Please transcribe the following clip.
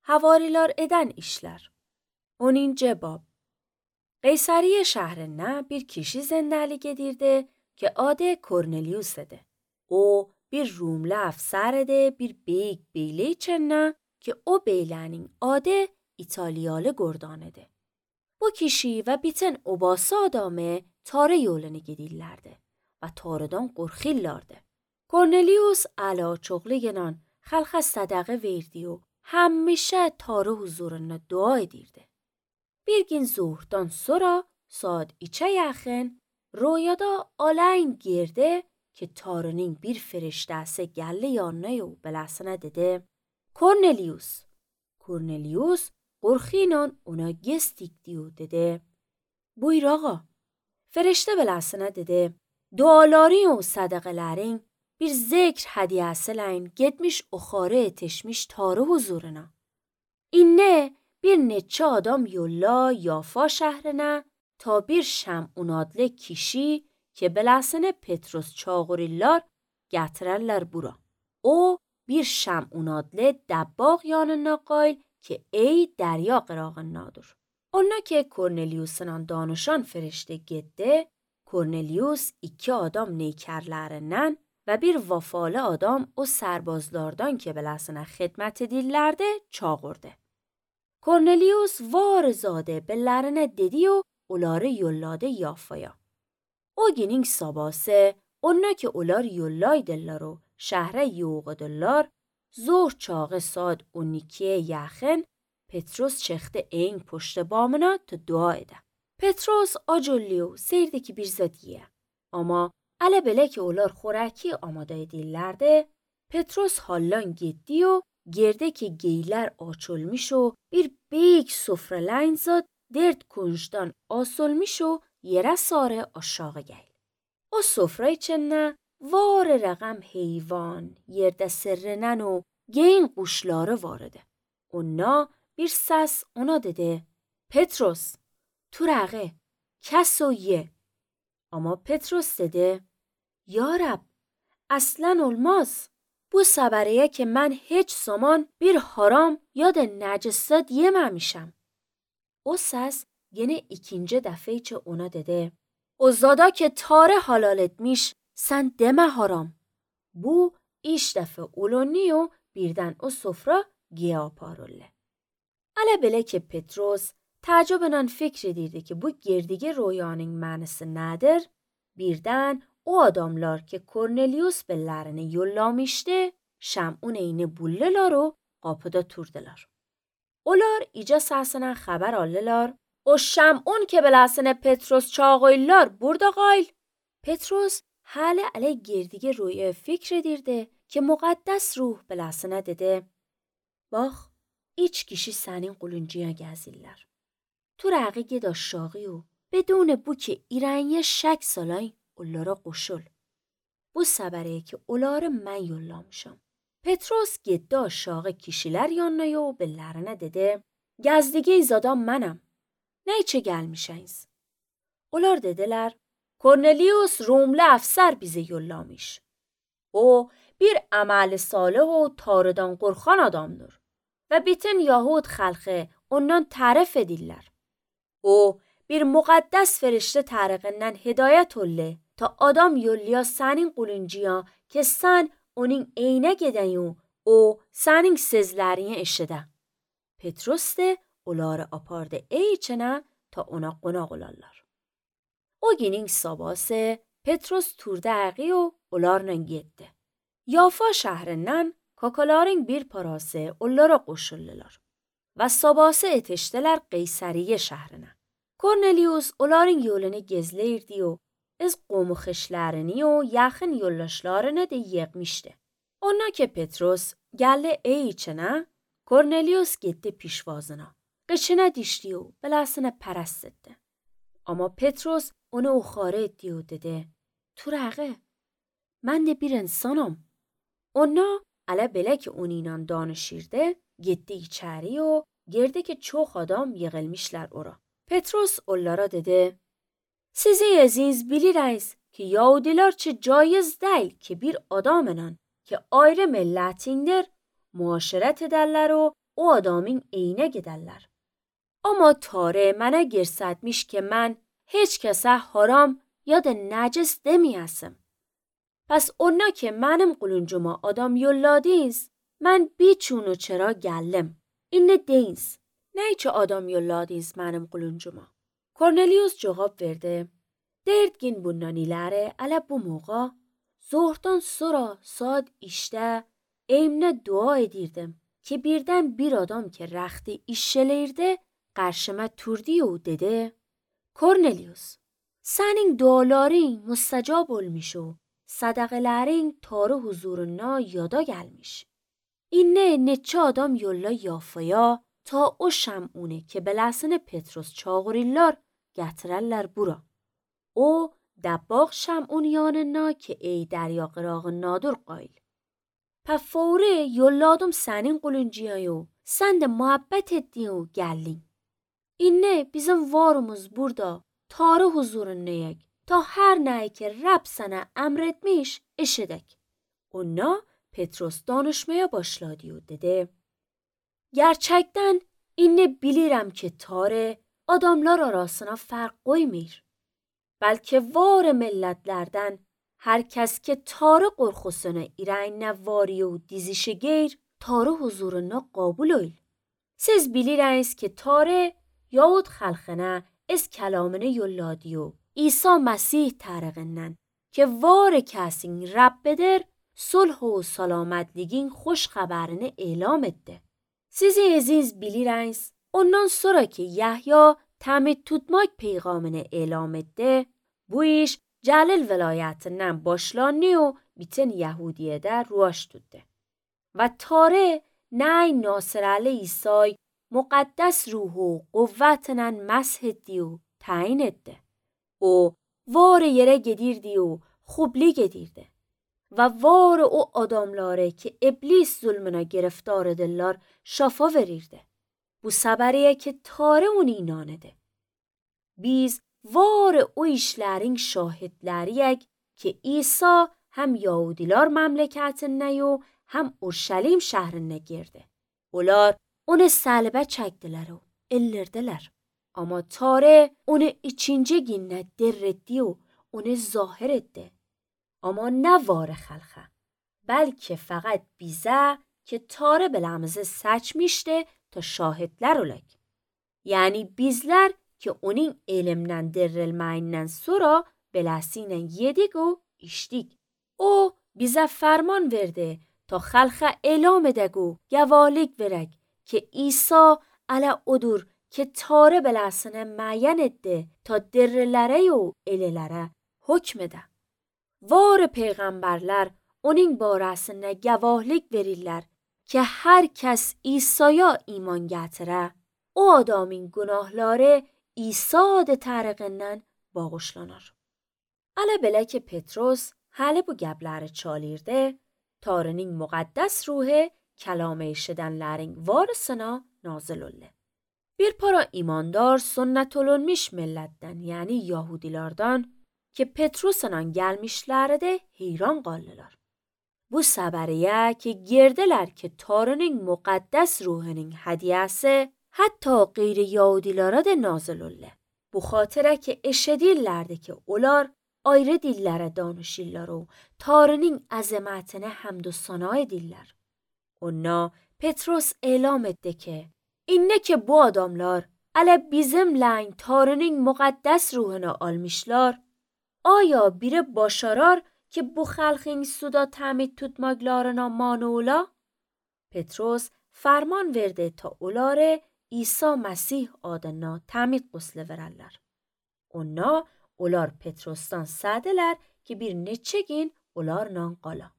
havarilar eden işler. Onun cevap. Qaysariye şəhrindən bir kişi zəndəlik edirdi ki, adı Kornelius idi. O, bir Rumlu əfsər idi, bir beyik beyli içəndən ki, o beylənin adı İtalyalı Gordan idi. Bu kişi və bütün obası adamı tarı yolunu gedirlərdi və tarıdan qorxurlardı. Kornelius əla çoxluğuyla xalqa sədaqə verdi o, həmişə tarı huzurunda dua edirdi. Bir gün zuhurdan sonra saat 3'e yaxın rüyada alayn girdi ki tarının bir feriştəsi gəldi yanına o beləsinə dedi: Kornelius. Kornelius qorxuyla ona göz dikdi o dedi: Buyur ağa. Feriştə beləsinə dedi: Duaların o sədaqələrin bir zikr hədiyəsilə getmiş oxarı etişmiş tarı huzuruna. İnne bir neçə adam yolla Yafa şəhrinə ta bir Şəmun adlı kişi ki beləsinə Petrus çağırırlar gətirərlər bura. O bir Şəmun adlı dəbbaq yanına qayıl ki ey dərya qırağındadır. Ona ki Kornelius'la danışan ferişte getdi, Kornelius 2 adam neykərlərindən və bir vafalı adam o sərbazlardan ki beləsinə xidmət edirlərdi çağırdı. Kornelius varzadə bellərinə dedi o onları yolladı Yafaya. O günün sabahı ona ki onlar yollaydılar o şəhərə yoğdular, zor çağı saat 12'ye yaxın Petrus çıxdı eyin puştu bamına ta dua edə. Petrus acıllı seyirdi ki bir zad yiyə. Amma ələ belə ki onlar xorəki amada edirlərdi, Petrus hallan getdi o girdi ki geylər açılmış o bir büyük sofralayın zad dert kunçdan asılmış o yerə sarı aşağı gəl. O sofra içində var rəqəm heyvan, yerdə sirrənən o geyin quşları var idi. Ona bir səs ona dedi: Petrus, turağı, kəs o ye. Amma Petrus dedi: Ya Rab, aslan olmaz. Bu səbəriyə ki mən heç zaman bir haram ya da nəcisat yeməmişəm. O səs yine ikinci dəfə ki ona dedi: O zada ki tarı halal etmiş, sən demə haram. Bu iş dəfə olundu o birdən o sofra giyə aparıldı. Ələ belə ki Petrus təəccüblə fikr edirdi ki bu girdiyi rüyanın mənası nədir? Birdən o adamlar ki Kornelius bellərini yollamışdı, Şəmun eyni bullular o qapıda turdular. Onlar ica səsindən xəbər aldılar: O Şəmun ki beləsinə Petrus çağırırlar burada qayıl. Petrus hələ ələ girdiyi rüyaya fikr edirdi ki müqəddəs ruh beləsinə dedi: Bax, 3 kişi sənin quluncuya gəzirlər. Tu rəqi ged aşağı o بدون bu ki irəniyə şək salay onlara qoşul. Bu səbəriyə ki onları mən yollamışam. Petrus getdi aşağı kişilər yanına o bellərinə dedi: Gəzdiyi adam mənəm. Nə içə gəlmişəniz? Onlar dedilər: Kornelius Rumlu əfsər bizi yollamış. O bir əməli salih o tarıdan qorxan adamdır və bütün Yahud xalqı ondan tərif edirlər. O bir müqəddəs ferişte tərəqindən hidayət oldu ta adam yollaya sənin quluncuya ki sən onun eynə gedən o sənin sözlərini eşidə. Petrus de onları apardı içinə ta ona qonaq olarlar. O günün sabahı Petrus turda əqi o onlarla getdi. Yafa şəhrindən kakaların bir parası onlara qoşuldular və sabahı etişdilər Qaysariyə şəhrinə. Kornelius onların yolunu gezləyirdi o, öz qomu xişlərini o yaxın yoldaşlarını da yığmışdı. Ona ki Petrus gəldi içinə, Kornelius getdi pişvazına. Qıçına dişdi o, beləsinə pərəst etdi. Amma Petrus onu oxarı etdi o dedi: Turağı, mən də bir insanam. Ona ələ belə ki onunla danışırdı, getdi içəri o, girdi ki çox adam yığılmışlar ora. Petrus onlara dedi: Sizi əziz bilirsiniz ki Yahudiler çi caiz deyil ki bir adamla ki ayrı millətindir müaşirət edərlər o o adamın eyine giderler. Ama Tare mənə girsətmiş ki mən heç kəsə haram ya da nəcis demeyəsim. Pes ona ki mənim quluncuma adam yolladınız, mən biçunu çرا gəldim. İnne deyiniz. Ne için adam yolladınız mənim quluncuma? Kornelius cevap verdi. Derdgin bundan ileri ala bu موقع zohdan sonra saat işte eymne dua edirdim ki birden bir adam ki rəxti işşeleyirdi qarşıma turdi o dedi. Kornelius, senin duaların müstecab olmuş o sadaqələrin tarı huzuruna yada gelmiş. İnne neçə adam yolla yafaya ta o şəmune ki beləsinə Petrus çağırırlar gətirərlər bura. O dəbbaq şəmun yanına ki ey derya qırağı nadur qayl. Pəfavre yolladım sənin quluncuya sən də muhabbət etdin o gəldin. İnne bizim varımız burada tarı huzurundayıq ta her nəyi ki Rab sənə əmr etmiş eşidək. Ona Petrus danışmaya başladı o dedi. Gerçekten inne bilirəm ki Tare adamlar arasına fark koymur. Belki var milletlerden herkes ki Tare qorxusuna irəynə vari o dizişi geyr Tare huzuruna qabul ol. Siz bilirsiniz ki Tare yahud xalqına از کلامını yolladı o İsa Mesih tarafından ki var kesin Rabbidir sulh و سلامتligin خوش خبرini elam etti. Siz aziz bilirsiniz ondan sonra ki Yahya təmid tutmak peygamını elam etti bu iş Celil velayetinden başlandı و bütün Yahudiye'de ruaş tuttu. و Tare نه ناصر علی عیسی مقدس روح و قوتنن مسح دی و تعیین etti. O var yere gedirdi o xubli gedirdi. و var o adamları ki iblis zulmüne giriftar edirler şafa verirdi. Bu səbəriye ki Tare onu inan edir. Biz var o işlerin şahidləriyək ki İsa hem Yahudilar məmləkətində و hem Urşalim şəhrinə girdi. Onlar onu səlbə çəkdilər o ellirdilər. Ama Tare onu ikinci günə dirretdi o onu zahir etti. Ama ne var xalqa. Belki faqat bize ki Tare beləmizi seçmişti ta şahidler olak. Yani bizler ki onun elimden dirilmeyinden sonra beləsiyle yedik o içtik. O bize ferman verdi ta xalqa elam edək o gavalik verək ki İsa ala odur ki Tare beləsine müəyyən etdi ta dirilere o elilere hükm edə. Var peygamberler onun barəsində gavahlik verirlər ki her kes İsa'ya iman gətire o adamın günahları İsa adı tərəqindən bağışlanır. Ala belə ki Petrus hələ bu gəbləri çalirdi, Tare'nin müqəddəs ruhu kəlam eşidənlərin varısına nazil oldu. Bir para imandar sünnet olunmuş milletdən yani Yahudilardan ki Petrus'la gelmişlerdi heyran qaldılar. Bu səbəriyə ki girdiler ki Tare'nin müqəddəs ruhunun hediyesi hatta qeyri Yahudilara da nazil oldu. Bu xatirə ki eşidirlərdi ki onlar ayrı dillərə danışırlar o Tare'nin əzəmətini həmd و sana edirlər. Ona Petrus elam etdi ki inne ki bu adamlar ala bizimle Tare'nin müqəddəs ruhunu almışlar آیا biri başarar ki bu xalqin suda təmid tutmaqlarına mane ola? Petrus ferman verdi ta onları İsa Mesih adına təmid quslu verərlər. Onlar Petrus'tan sədilər ki bir neçə gün onlarla qala.